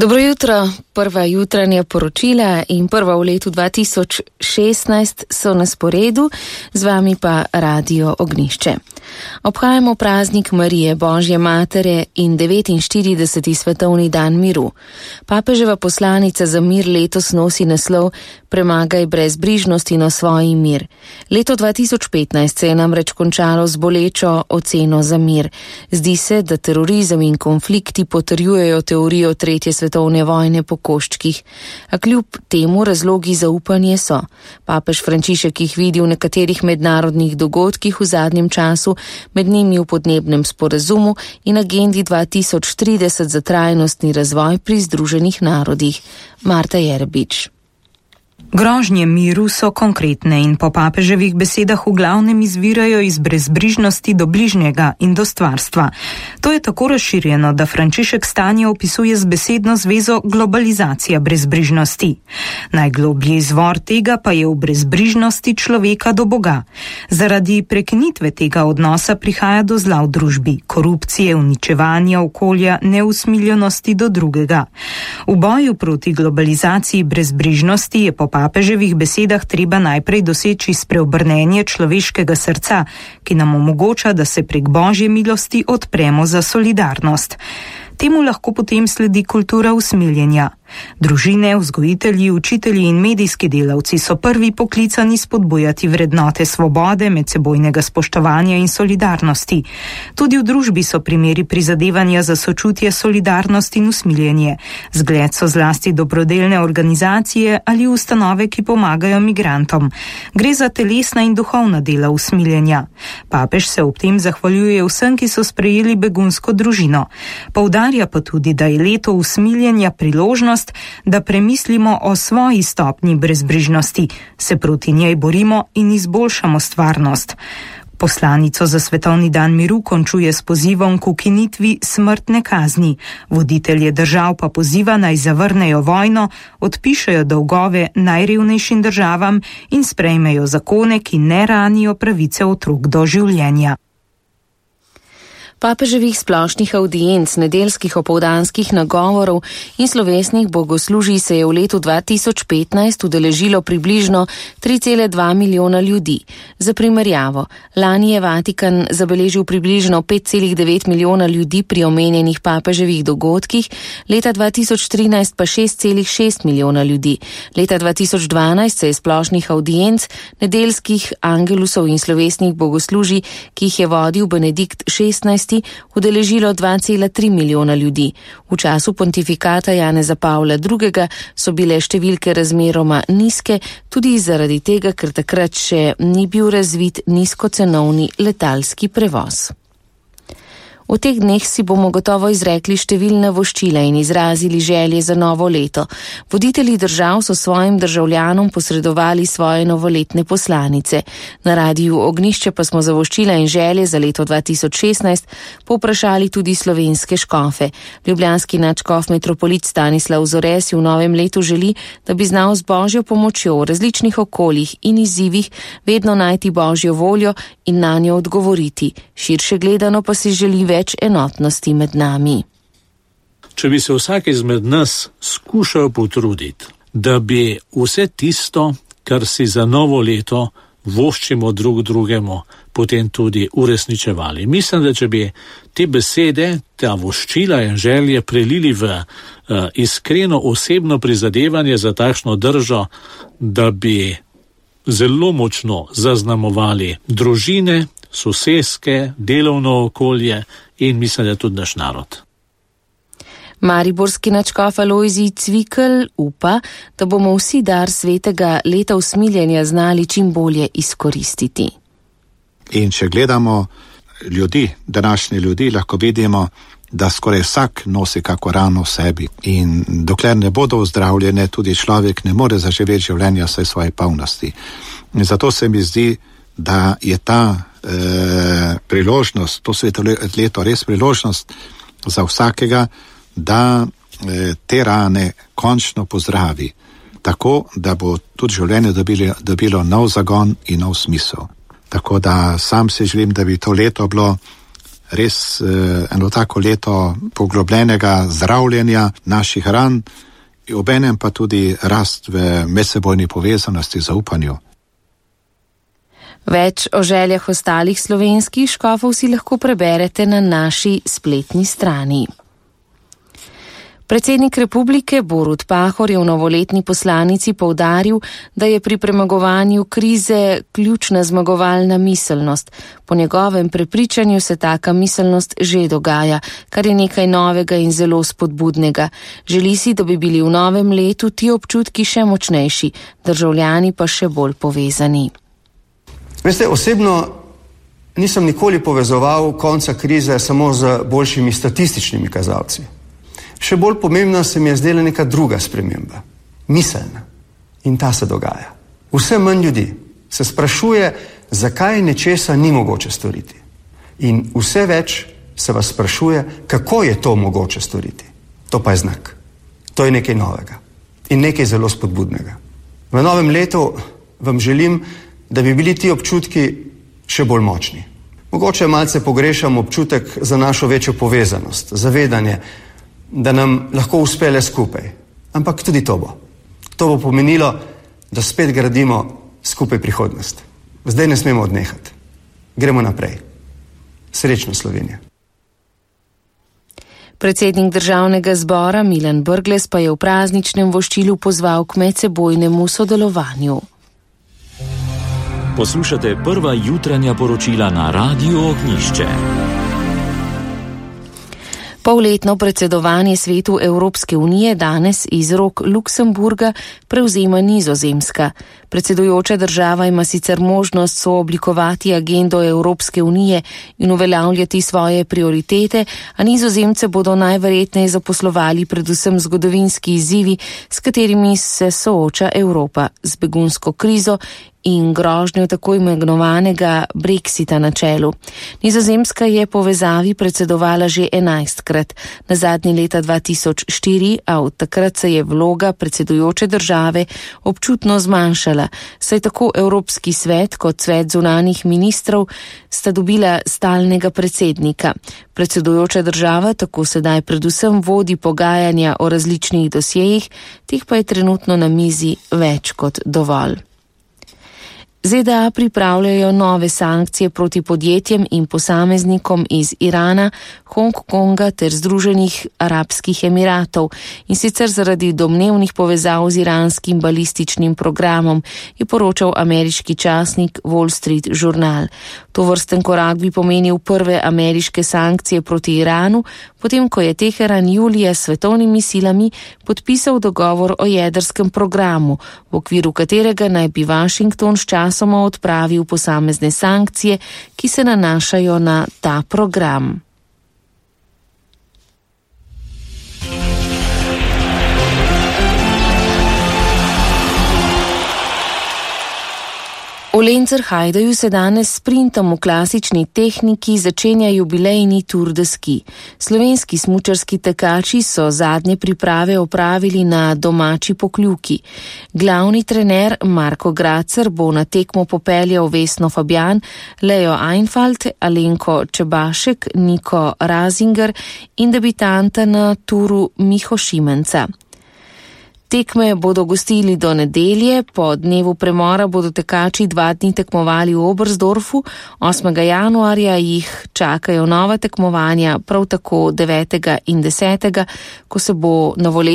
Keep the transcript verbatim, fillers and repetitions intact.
Dobro jutro, prva jutranja poročila in prva v letu dva tisoč šestnajst so na sporedu, z vami pa Radio Ognišče. Obhajamo praznik Marije, Božje matere in devetinštirideseti svetovni dan miru. Papeževa poslanica za mir letos nosi naslov Premagaj brezbrižnost in osvoji mir. Leto dva tisoč petnajst se je namreč končalo z bolečo oceno za mir. Zdi se, da terorizem in konflikti potrjujejo teorijo tretje svetovne vojne po koščkih, a kljub temu razlogi za upanje so. Papež Frančišek jih vidi v nekaterih mednarodnih dogodkih v zadnjem času, med njimi v podnebnem sporazumu in agendi dva tisoč trideset za trajnostni razvoj pri Združenih narodih. Marta Jerbič. Grožnje miru so konkretne in po papeževih besedah v glavnem izvirajo iz brezbrižnosti do bližnjega in do stvarstva. To je tako razširjeno, da Frančišek stanje opisuje z besedno zvezo globalizacija brezbrižnosti. Najgloblji izvor tega pa je v brezbrižnosti človeka do Boga. Zaradi prekinitve tega odnosa prihaja do zla v družbi, korupcije, uničevanja okolja, neusmiljenosti do drugega. V boju proti globalizaciji brezbrižnosti je po papeževih besedah treba najprej doseči spreobrnenje človeškega srca, ki nam omogoča, da se prek Božje milosti odpremo za solidarnost. Temu lahko potem sledi kultura usmiljenja. Družine, vzgojitelji, učitelji in medijski delavci so prvi poklicani spodbujati vrednote svobode, medsebojnega spoštovanja in solidarnosti. Tudi v družbi so primeri prizadevanja za sočutje, solidarnost in usmiljenje. Zgled so zlasti dobrodelne organizacije ali ustanove, ki pomagajo migrantom. Gre za telesna in duhovna dela usmiljenja. Papež se ob tem zahvaljuje vsem, ki so sprejeli begunsko družino. Poudarja pa tudi, da je leto usmiljenja priložnost, da premislimo o svoji stopnji brezbrižnosti, se proti njej borimo in izboljšamo stvarnost. Poslanico za svetovni dan miru končuje s pozivom k ukinitvi smrtne kazni. Voditelje držav pa poziva naj zavrnejo vojno, odpišejo dolgove najrevnejšim državam in sprejmejo zakone, ki ne ranijo pravice otrok do življenja. Papeževih splošnih avdienc, nedeljskih opoldanskih nagovorov in slovesnih bogoslužij se je v letu dva tisoč petnajst udeležilo približno tri cela dva milijona ljudi. Za primerjavo, lani je Vatikan zabeležil približno pet cela devet milijona ljudi pri omenjenih papeževih dogodkih, leta dva tisoč trinajst pa šest cela šest milijona ljudi. Leta dva tisoč dvanajst se je splošnih avdienc, nedeljskih angelusov in slovesnih bogoslužij, ki jih je vodil Benedikt šestnajsti, udeležilo dva cela tri milijona ljudi. V času pontifikata Janeza Pavla drugega so bile številke razmeroma nizke, tudi zaradi tega, ker takrat še ni bil razvit nizkocenovni letalski prevoz. V teh dneh si bomo gotovo izrekli številna voščila in izrazili želje za novo leto. Voditelji držav so svojim državljanom posredovali svoje novoletne poslanice. Na Radiu Ognišče pa smo za voščila in želje za leto dva tisoč šestnajst povprašali tudi slovenske škofe. Ljubljanski nadškof metropolit Stanislav Zore si v novem letu želi, da bi znal z Božjo pomočjo v različnih okoljih in izzivih vedno najti Božjo voljo in na njo odgovoriti. Širše gledano pa si želi več več enotnosti med nami. Če bi se vsak izmed nas skušal potruditi, da bi vse tisto, kar si za novo leto voščimo drug drugemu, potem tudi uresničevali. Mislim, da če bi te besede, ta voščila in želje prelili v uh, iskreno osebno prizadevanje za takšno držo, da bi zelo močno zaznamovali družine, soseske, delovno okolje in mislim, da tudi naš narod. Mariborski nadškof Alojzij Cvikl upa, da bomo vsi dar svetega leta usmiljenja znali čim bolje izkoristiti. In če gledamo ljudi, današnji ljudi, lahko vidimo, da skoraj vsak nosi kako rano v sebi. In dokler ne bodo ozdravljene, tudi človek ne more zaživeti življenja vsej svoje polnosti. In zato se mi zdi, da je ta eh, priložnost, to leto res priložnost za vsakega, da eh, te rane končno pozdravi, tako da bo tudi življenje dobilo, dobilo nov zagon in nov smisel. Tako da sam si želim, da bi to leto bilo res eno tako leto poglobljenega zdravljenja naših ran, obenem pa tudi rast v medsebojni povezanosti, zaupanju. Več o željah ostalih slovenskih škofov si lahko preberete na naši spletni strani. Predsednik republike Borut Pahor je v novoletni poslanici poudaril, da je pri premagovanju krize ključna zmagovalna miselnost. Po njegovem prepričanju se taka miselnost že dogaja, kar je nekaj novega in zelo spodbudnega. Želi si, da bi bili v novem letu ti občutki še močnejši, državljani pa še bolj povezani. Veste, osebno nisem nikoli povezoval konca krize samo z boljšimi statističnimi kazalci. Še bolj pomembna se mi je zdela neka druga sprememba, miselna. In ta se dogaja. Vse manj ljudi se sprašuje, zakaj nečesa ni mogoče storiti. In vse več se vas sprašuje, kako je to mogoče storiti. To pa je znak. To je nekaj novega in nekaj zelo spodbudnega. V novem letu vam želim, da bi bili ti občutki še bolj močni. Mogoče malce pogrešam občutek za našo večjo povezanost, zavedanje, da nam lahko uspe le skupaj. Ampak tudi to bo. To bo pomenilo, da spet gradimo skupaj prihodnost. Zdaj ne smemo odnehati. Gremo naprej. Srečno Slovenija. Predsednik državnega zbora Milan Brglez pa je v prazničnem voščilu pozval k medsebojnemu sodelovanju. Poslušate prva jutranja poročila na Radiu Ognjišče. Polletno predsedovanje svetu Evropske unije danes iz rok Luksemburga prevzema Nizozemska. Predsedujoča država ima sicer možnost sooblikovati agendo Evropske unije in uveljavljati svoje prioritete, a Nizozemce bodo najverjetneje zaposlovali predvsem zgodovinski izzivi, s katerimi se sooča Evropa, z begunsko krizo in grožnjo tako imenovanega Brexita na čelu. Nizozemska je povezavi predsedovala že enajstkrat, na zadnji leta dva tisoč štiri, a od takrat se je vloga predsedujoče države občutno zmanjšala, saj tako Evropski svet kot svet zunanjih ministrov sta dobila stalnega predsednika. Predsedujoča država tako sedaj predvsem vodi pogajanja o različnih dosjejih, teh pa je trenutno na mizi več kot dovolj. ZDA pripravljajo nove sankcije proti podjetjem in posameznikom iz Irana, Hongkonga ter Združenih arabskih emiratov in sicer zaradi domnevnih povezav z iranskim balističnim programom, je poročal ameriški časnik Wall Street Journal. Tovrsten korak bi pomenil prve ameriške sankcije proti Iranu, potem ko je Teheran julija s svetovnimi silami podpisal dogovor o jedrskem programu, v okviru katerega naj bi Washington s časoma odpravil posamezne sankcije, ki se nanašajo na ta program. V Lenzerheideu se danes s sprintom v klasični tehniki začenja jubilejni Tour de Ski. Slovenski smučarski tekači so zadnje priprave opravili na domači Pokljuki. Glavni trener Marko Gracer bo na tekmo popeljal Vesno Fabjan, Leo Einfalt, Alenko Čebašek, Niko Razinger in debitanta na turu Miho Šimenca. Tekme bodo gostili do nedelje, po dnevu premora bodo tekači dva dni tekmovali v Oberstdorfu, osmega januarja jih čakajo nova tekmovanja, prav tako devetega in desetega, ko se bo novoletno